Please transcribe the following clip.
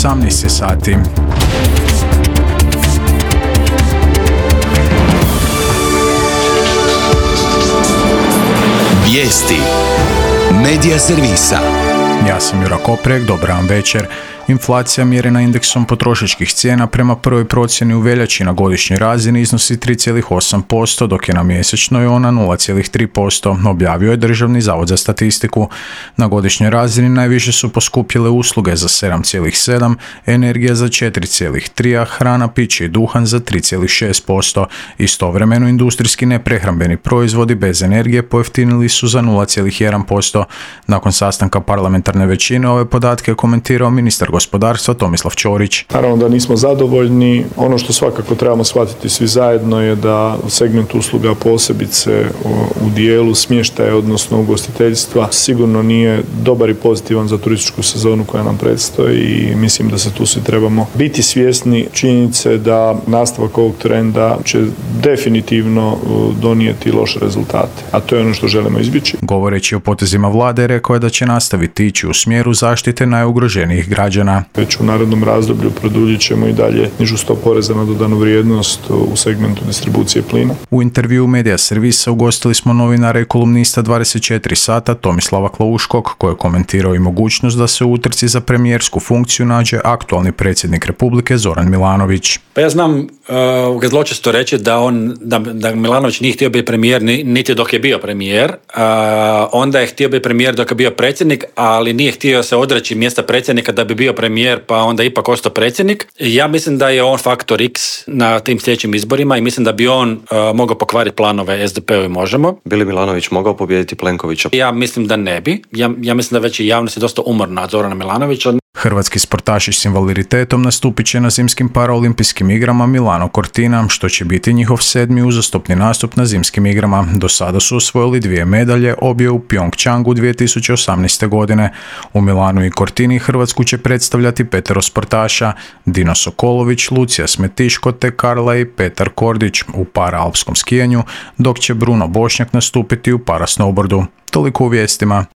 18 sati. Vijesti Medija servisa. Ja sam Jura Koprek, dobar vam večer. Inflacija mjerena indeksom potrošačkih cijena prema prvoj procjeni u veljači na godišnjoj razini iznosi 3,8%, dok je na mjesečnoj ona 0,3%, objavio je Državni zavod za statistiku. Na godišnjoj razini najviše su poskupjele usluge za 7,7%, energija za 4,3%, a hrana, piće i duhan za 3,6%. Istovremeno industrijski neprehrambeni proizvodi bez energije pojeftinili su za 0,1%. Nakon sastanka parlamentarne većine ove podatke je komentirao ministar gospodarstva Tomislav Ćorić. Naravno da nismo zadovoljni. Ono što svakako trebamo shvatiti svi zajedno je da segment usluga, posebice u dijelu smještaja, odnosno ugostiteljstva, sigurno nije dobar i pozitivan za turističku sezonu koja nam predstoji i mislim da se tu svi trebamo biti svjesni činjenice da nastavak ovog trenda će definitivno donijeti loše rezultate, a to je ono što želimo izbjeći. Govoreći o potezima vlade, rekao je da će nastaviti ići u smjeru zaštite najugroženijih građana. Već u narednom razdoblju produljit ćemo i dalje nižu stopu poreza na dodanu vrijednost u segmentu distribucije plina. U intervjuu Medija servisa ugostili smo novinara i kolumnista 24 sata Tomislava Klauškog, koji je komentirao i mogućnost da se u utrci za premijersku funkciju nađe aktualni predsjednik Republike Zoran Milanović. Pa ja znam zločesto reći da Milanović nije htio biti premijer niti dok je bio premijer, onda je htio biti premijer dok je bio predsjednik, ali nije htio se odreći mjesta predsjednika da bi bio premijer, pa onda ipak ostao predsjednik. Ja mislim da je on faktor X na tim sljedećim izborima i mislim da bi on mogao pokvariti planove SDP-u i Možemo. Bi li Milanović mogao pobijediti Plenkovića? Ja mislim da ne bi. Ja mislim da već i javnost je dosta umorna od Zorana Milanovića. Hrvatski sportaši s invaliditetom nastupit će na zimskim paraolimpijskim igrama Milano Cortina, što će biti njihov 7. uzastopni nastup na zimskim igrama. Do sada su osvojili 2 medalje, obje u Pyeongchangu 2018. godine. U Milanu i Cortini Hrvatsku će predstavljati 5 sportaša: Dino Sokolović, Lucija Smetiško te Karla i Petar Kordić u paraalpskom skijanju, dok će Bruno Bošnjak nastupiti u parasnowboardu. Toliko u vijestima.